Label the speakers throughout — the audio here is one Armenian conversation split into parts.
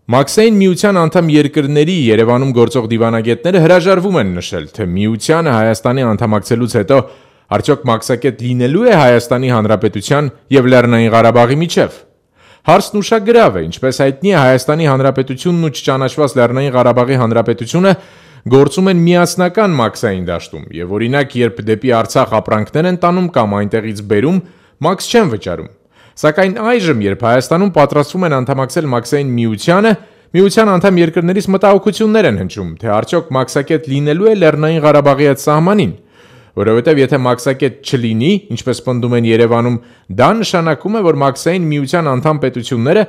Speaker 1: Մաքսային միության անդամ երկրների Երևանում գործող դիվանագետները հրաժարվում են նշել, թե միությանը Հայաստանի անդամակցելուց հետո արդյոք մաքսակետ լինելու է Հայաստանի Հանրապետության և Լեռնային Ղարաբաղի միջև։ Հարցն ուշագրավ է, ինչպես հայտնի է, Հայաստանի Հանրապետությունն ու չճանաչված Լեռնային Ղարաբաղի Հանրապետությունը գործում են միասնական մաքսային դաշտում, և օրինակ, երբ դեպի Արցախ ապրանքներ են տանում կամ այնտեղից բերում, մաքս չեն վճարում։ Սակայն այժմ, երբ Հայաստանում պատրաստվում են անդամակցել մաքսային միությանը, միության անդամ երկրներից մտահոգություններ են հնչում, թե արդյոք մաքսակետ լինելու է Լեռնային Ղարաբաղի այդ սահմանին, որովհետև եթե մաքսակետ չլինի, ինչպես պնդում են Երևանում, դա նշանակում է, որ մաքսային միության անդամ պետությունները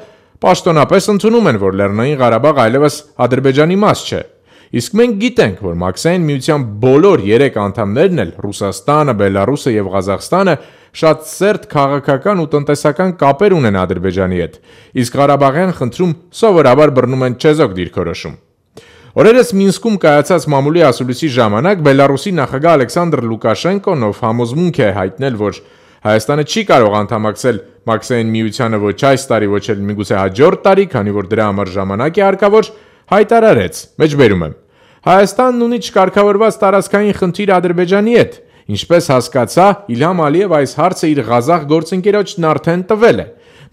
Speaker 1: պաշտոնապես ընդունում են, որ Լեռնային Ղարաբաղը այլևս Ադրբեջանի մաս չէ։ Իսկ մենք գիտենք, որ մաքսային միության բոլոր 3 անդամներն էլ Ռուսաստանը, Բելարուսը և Ղազախստանը շատ սերտ քաղաքական ու տնտեսական կապեր ունեն Ադրբեջանի հետ, իսկ Ղարաբաղյան խնդրում սովորաբար բռնում են չեզոք դիրքորոշում։ Օրերս Մինսկում կայացած մամուլի ասուլիսի ժամանակ Բելարուսի նախագահ Ալեքսանդր Լուկաշենկոն, ով համոզմունք է հայտնել, որ Հայաստանը չի կարող անդամակցել մաքսային միությանը ոչ այս տարի, ոչ էլ միգուցե հաջորդ տարի, քանի որ դրա համար ժամանակ է հարկավոր, հայտարարեց. մեջբերում եմ. Հայաստանն ունի չկարգավորված տարածքային խնդիր Ադրբեջանի հետ, ինչպես հասկացա, Իլհամ Ալիև այս հարցը իր Ղազախ գործընկերոջն արդեն տվել է։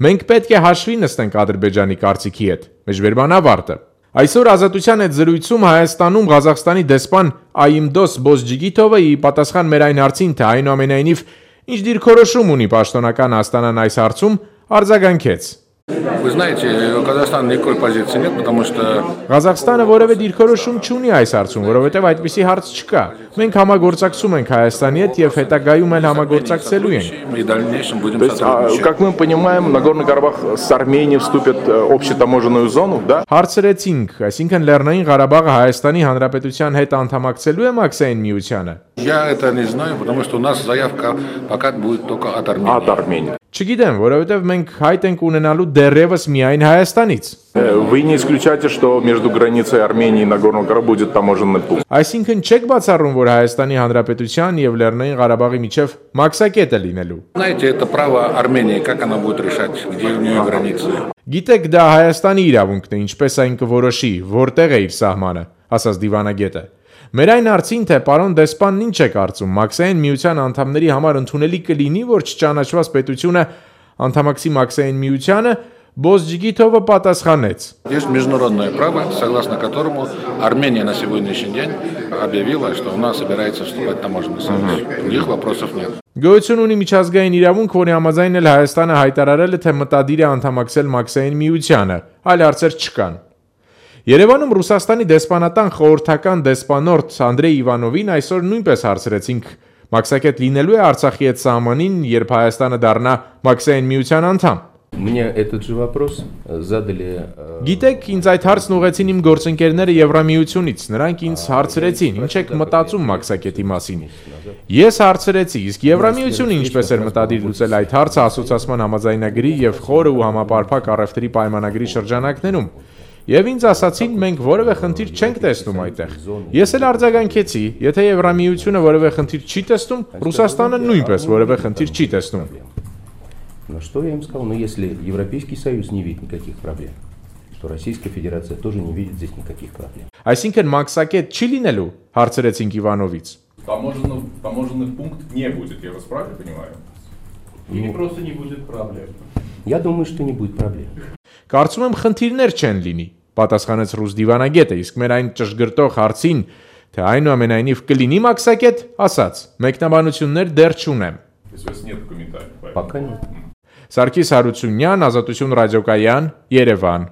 Speaker 1: Մենք պետք է հաշվի նստենք Ադրբեջանի կարծիքի հետ։ Մեջբերման ավարտը։ Այսօր Ազատության հետ զրույցում Հայաստանում Ղազախստանի դեսպան Այիմդոս Բոզջիգիթովը ի պատասխան մեր այն հարցին, թե այնուամենայնիվ ինչ դիրքորոշում ունի պաշտոնական Աստանան այս հարցում, արձագանքեց.
Speaker 2: Вы знаете, у Казахстана никакой позиции нет, потому что
Speaker 1: Ղազախստանը որևէ դիրքորոշում չունի այս հարցում, որովհետև այդպիսի հարց չկա։ Մենք համագործակցում ենք Հայաստանի հետ եւ հետագայում էլ համագործակցելու ենք։
Speaker 2: и в дальнейшем будем сотрудничать.
Speaker 3: Как мы понимаем, Нагорный Карабах с Арменией вступит в общетаможенную зону, да?
Speaker 1: Հարցրեցինք, այսինքն Լեռնային Ղարաբաղը Հայաստանի Հանրապետության հետ անդամակցելու է մաքսային միությանը։
Speaker 2: Я это не знаю, потому что у нас заявка пока будет только от Армении.
Speaker 3: От Армении.
Speaker 1: Չգիտեմ, որովհետև մենք հայտ ենք ունենալու դեռևս միայն Հայաստանից։
Speaker 3: Вы не исключаете, что между границей Армении и Нагорного Карабаха будет таможенный пункт?
Speaker 1: Այսինքն չեք բացառում, որ Հայաստանի Հանրապետության եւ Լեռնային Ղարաբաղի միջև մաքսակետ է լինելու։
Speaker 2: Знаете, это право Армении, как она будет решать, где у нее границы.
Speaker 1: Գիտեք, դա Հայաստանի իրավունքն է, ինչպես այն կորոշի, որտեղ է իր սահմանը, ասաց դիվանագետը։ Մեր այն հարցին, թե պարոն դեսպանն ինչ է կարծում, մաքսային միության անդամների համար ընդունելի կլինի, որ չճանաչված պետությունը անդամակցի մաքսային միությանը, Բոզջիգիթովը պատասխանեց.
Speaker 2: Есть международное право, согласно которому Армения на сегодняшний день объявила, что она собирается вступать в таможенный союз. Других вопросов нет.
Speaker 1: Գոյություն ունի միջազգային իրավունք, որի համաձայն էլ Հայաստանը հայտարարել է, թե մտադիր է անդամակցել մաքսային միությանը, այլ հարցեր չկան։ Երևանում Ռուսաստանի դեսպանատան խորհրդական դեսպանորդ Անդրեյ Իվանովին այսօր նույնպես հարցրեցինք, մաքսակետ լինելու է Արցախի հետ սահմանին, երբ Հայաստանը դառնա մաքսային միության անդամ։
Speaker 4: Мне этот же вопрос задали.
Speaker 1: Գիտեք, ինձ այդ հարցն ուղեցին իմ գործընկերները Եվրամիությունից, նրանք ինձ հարցրեցին, ինչ եք մտածում մաքսակետի մասին։ Ես հարցրեցի, իսկ Եվրամիությունը ինչպես էր մտադիր լուծել այդ հարցը ասոցիացման համաձայնագրի եւ խորը ու համապարփակ առևտրի պայմանագրի շրջանակներում։ Եվ ինձ ասացին, մենք որևէ խնդիր չենք տեսնում այդտեղ։ Ես էլ արձագանքեցի, եթե Եվրամիությունը որևէ խնդիր չի տեսնում, Ռուսաստանը նույնպես որևէ խնդիր չի տեսնում։
Speaker 4: Но что я им сказал? Ну, если Европейский Союз не видит никаких проблем, то Российская Федерация тоже не видит здесь никаких проблем.
Speaker 1: Այսինքն մաքսակետ չի լինելու, հարցրեցինք Իվանովից։
Speaker 5: Таможенный пункт не будет, я вас правильно понимаю? Или просто не будет проблем?
Speaker 4: Я думаю, что не будет проблем.
Speaker 1: Կարծում եմ խնդիրներ չեն լինի, պատասխանեց ռուս դիվանագետը, իսկ մեր այն ճշգրտող հարցին, թե այնուամենայնիվ կլինի մաքսակետ, ասաց. մեկնաբանություններ դեռ չունեմ։
Speaker 4: Пока нет.
Speaker 1: Սարգիս Հարությունյան, Ազատություն ռադիոկայան, Երևան։